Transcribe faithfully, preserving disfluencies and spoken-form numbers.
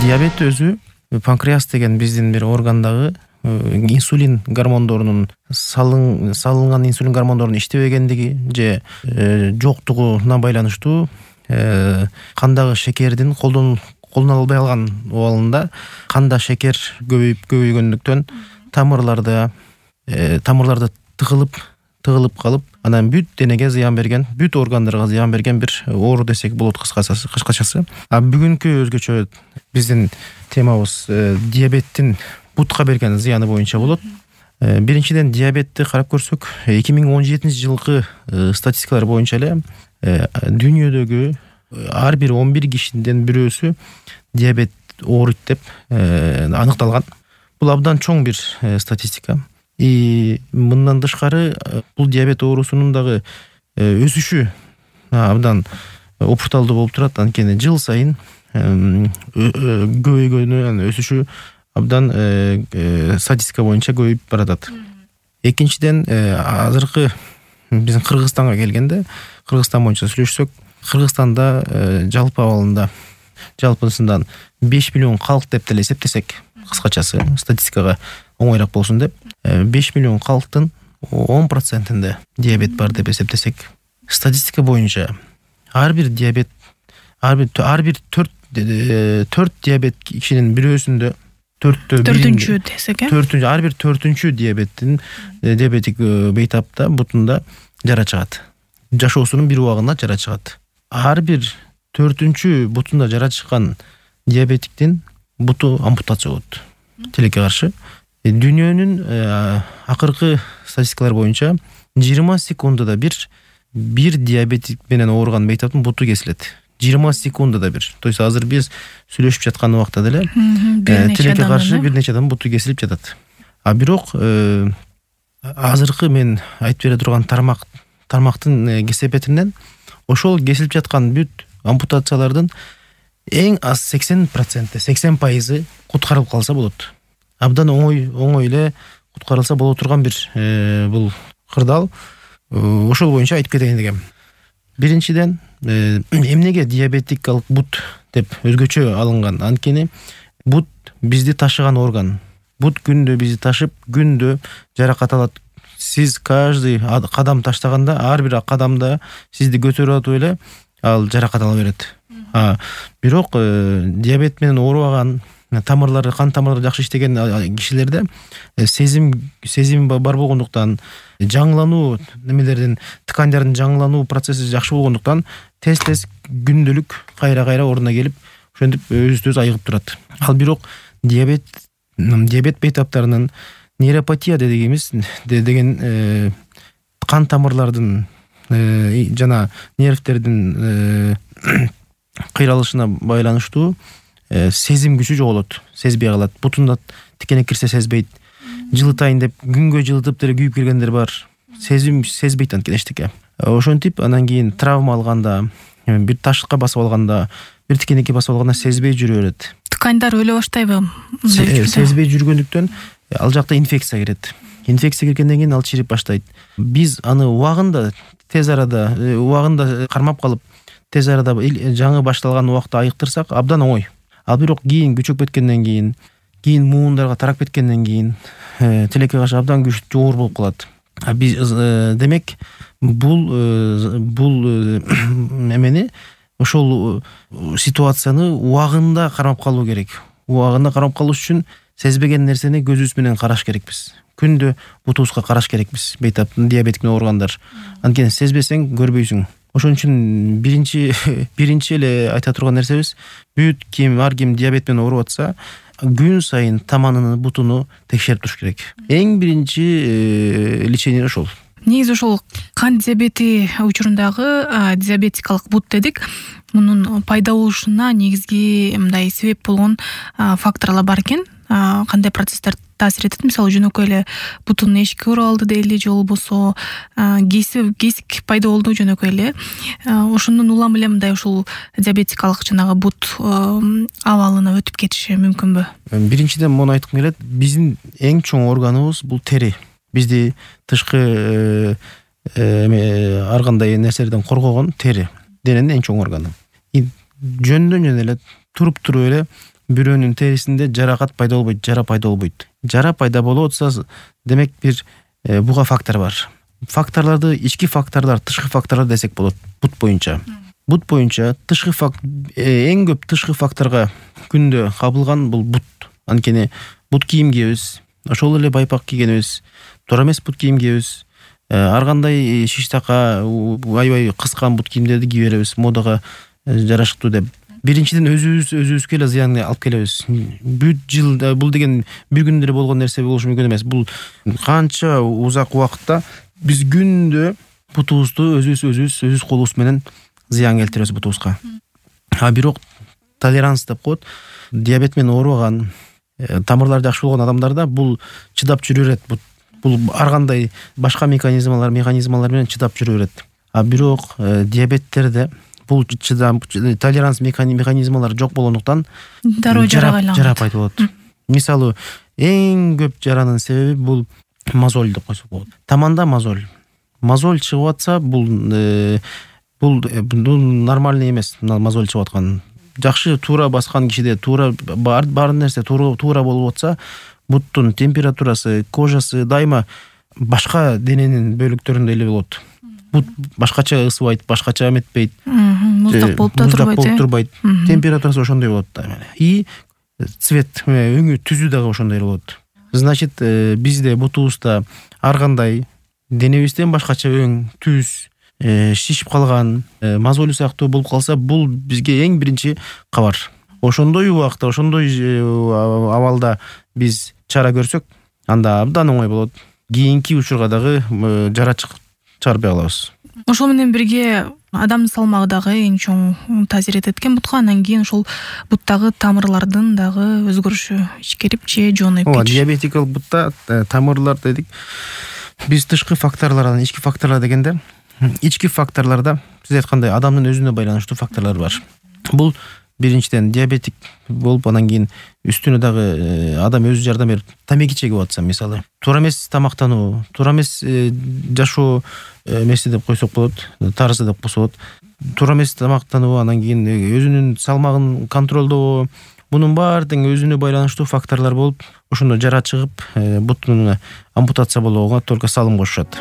Диабет өзү панкреас деген биздин бир органдагы инсулин гормондорунун салын салынган инсулин гормондорунун иштебегендиги же жоктугуна байланыштуу кандагы шекердин колдон колдоно албай калган убалында канда шекер көбөйүп көбөйгөндүктөн тамырларда тамырларда тыгылып тыгылып калып анан бүт денеге зыян берген, бүт органдарга зыян берген бир оору десек болот кыскачасы. кыскачасы. А бүгүнкү өзгөчө биздин темабыз диабеттин бутка берген зыяны боюнча болот. Биринчиден диабетти карап көрсөк, эки миң он жетинчи жылкы статистикалар боюнча эле дүйнөдөгү ар бир он бир кишиден бирөөсү диабет ооруйт деп аныкталган. Бул абдан чоң бир статистика. И мындан тышкары бул диабет оорусунун дагы өсүшү абдан опурталдуу болуп турат. Анткени жыл сайын көбөйгөнү, өсүшү абдан статистика боюнча көбөйүп баратат. Экинчиден, азыркы биздин Кыргызстанга келгенде, Кыргызстан боюнча сүйлөшсөк, Кыргызстанда жалпы абалында жалпысынан беш миллион калк деп деле эсептесек, кыскачасы статистикага оңойраак болсун деп, беш миллион калктын он процентинде диабет бар деп эсептесек, статистика боюнча ар бир диабет ар бир ар бир төрт төрт диабет кишинин бирөөсүндө төрттө төртүнчү десек, э төртүнчү ар бир төртүнчү диабеттин диабетик бейтапта бутунда жара чыгат. Жашоосунун бир убагында жара чыгат. Ар бир төртүнчү бутунда жара чыккан диабетиктин буту ампутация болот. Тилекке каршы. Дүйнөнүн акыркы статистикалар боюнча жыйырма секундада бир бир диабетик менен ооруган бейтаптын буту кесилет. жыйырма секундада бир. То есть азыр биз сүйлөшүп жаткан убакта деле тилекке каршы бир нече адам буту кесилип жатат. А бирок азыркы мен айтып бере турган тармак тармактын кесепетинен ошол кесилип жаткан бүт ампутациялардын эң аз сексен проценти, сексен пайызы куткарылып калса болот. Абдан оңой оңой эле куткарылса боло турган бир бул кырдаал. Ошол боюнча айтып кетейин дегем. Биринчиден, эмнеге диабетикалык бут деп өзгөчө алынган? Анткени бут бизди ташыган орган. Бут күндө бизди ташып, күндө жаракат алат. Сиз каждый кадам таштаганда, ар бир кадамда сизди көтөрүп атып эле ал жаракат ала берет. А бирок диабет менен оорубаган, тамырлары, кан тамырлары жакшы иштеген кишилерде сезим сезим бар болгондуктан, жаңылануу немелердин, ткандардын жаңылануу процесси жакшы болгондуктан тез-тез күндөлүк кайра-кайра ордуна келип, ошентип өзү-өз айыгып турат. Ал бирок диабет диабет бейтаптарынын нейропатия дегенimiz деген кан тамырлардын жана нервтердин кыйралышына байланыштуу сезим күчү жоголот, сезбей калат. Бутунда тикене кирсе сезбейт. Жылытайын деп күнгө жылытып деле күйүп келгендер бар. Сезим сезбейт анткени эчтеке. Ошентип анан кийин травма алганда, бир ташка басып алганда, бир тикенеке басып алганда сезбей жүрө берет. Ткандар өлө баштайбы? Сезбей жүргөндүктөн ал жакта инфекция кирет. Инфекция киргенден кийин ал чирип баштайт. Биз аны убагында, тез арада, убагында кармап калып, тез арада жаңы башталган убакта айыктырсак абдан оңой. Ал бирок кийин күчөп кеткенден кийин, кийин муундарга тарап кеткенден кийин тилекке каршы абдан күчтүү оор болуп калат. А биз демек бул бул эмени ошол ситуацияны убагында кармап калуу керек. Убагында кармап калыш үчүн сезбеген нерсени көзүбүз менен караш керекпиз. Күндө бутубузга караш керекпиз. Бейтаптын диабетик менен ооругандар. Анткени сезбесең көрбөйсүң. Ошон үчүн биринчи биринчи эле айта турган нерсебиз, бүт ким ар ким диабет менен ооруп атса, күн сайын таманын бутуну текшерип туруш керек. Эң биринчи лечение ошол. Негизи ошол кан диабети учурундагы диабетикалык бут дедик. Мунун пайда болушуна негизги мындай себеп болгон факторлор бар экен. Кандай процесстер таасир этет? Мисалы, жөнөкөй эле бутун эшикке уралды дейли, же болбосо кесик кесик пайда болду жөнөкөй эле. Ошондон улам эле мындай ушул диабетикалык жанагы бут абалына өтүп кетиши мүмкүнбү? Биринчиден муну айткым келет. Биздин эң чоң органыбыз бул тери. Бизди тышкы ар кандай нерселерден коргогон тери. Дененин эң чоң органы. Жөндөн жөн эле туруп туруп эле бирөөнүн терисинде жаракат пайда болбойт, жара пайда болбойт. Жара пайда болуп атса, демек бир буга фактор бар. Факторлорду ички факторлор, тышкы факторлор десек болот бут боюнча. Бут боюнча тышкы фактор эң көп тышкы факторго күндө кабылган бул бут. Анткени бут кийим кийебиз, ошол эле байпак кийгенибиз, туура эмес бут кийим кийебиз. Ар кандай шиштака, аябай кыскан бут кийимдерди кийип беребиз, модага жарашыктуу деп. Биринчиден өзүбүз өзүбүзгө эле зыян алып келебиз. Бүт жыл бул деген бир күндө болгон нерсе болушу мүмкүн эмес. Бул канча узак убакытта биз күндө бутубузду өзүбүз өзүбүз өзүбүз колубуз менен зыян келтиребиз бутубузга. А бирок толеранс деп коет. Диабет менен оорубаган, тамырлары жакшы болгон адамдарда бул чыдап жүрө берет. Бул ар кандай башка механизмалар, механизмалар менен чыдап жүрө берет. А бирок диабеттерде бул чыдам толеранс механизмалары жок болгондуктан дароо жарага айланат. Жара пайда болот. Мисалы, эң көп жаранын себеби бул мозоль деп койсок болот. Таманда мозоль. Мозоль чыгып атса, бул бул нормальный эмес. Мозоль чыгып аткан. Жакшы туура баскан кишиде туура бар бар нерсе туура туура болуп атса, буттун температурасы, кожасы дайыма башка дененин бөлүктөрүндө эле болот. Бут башкача ысыбайт, башкача эметпейт. Муздак болуп да турбайт. Болуп турбайт. Температурасы ошондой болот да. И цвет, өңү түзүү дагы ошондой болот. Значит, бизде бутубузда ар кандай денебизден башкача өң, түз, шишип калган, мозоль сыяктуу болуп калса, бул бизге эң биринчи кабар. Ошондой убакта, ошондой абалда биз чара көрсөк, анда абдан оңой болот. Кийинки учурга дагы жара чыгарбай калабыз. Ошол менен бирге адамдын салмагы дагы эң чоң таасир этет экен бутка. Андан кийин ошол буттагы тамырлардын дагы өзгөрүшү ичкерип же жонуп кетиш. Диабетикалык бутта тамырлар дедик. Биз тышкы факторлордон ички факторлор дегенде, ички факторлордо сиз айткандай адамдын өзүнө байланыштуу факторлор бар. Бул биринчиден диабетик болуп, анан кийин үстүнө дагы адам өзү жардам берип тамеки чегип атса, мисалы, туура эмес тамактануу, туура эмес жашоо эмеси деп койсок болот, тарзы деп койсок болот. Туура эмес тамактануу, анан кийин өзүнүн салмагын контролдоо, мунун баары тең өзүнө байланыштуу факторлор болуп, ошондо жара чыгып, бутун ампутация болууга только салым кошушат.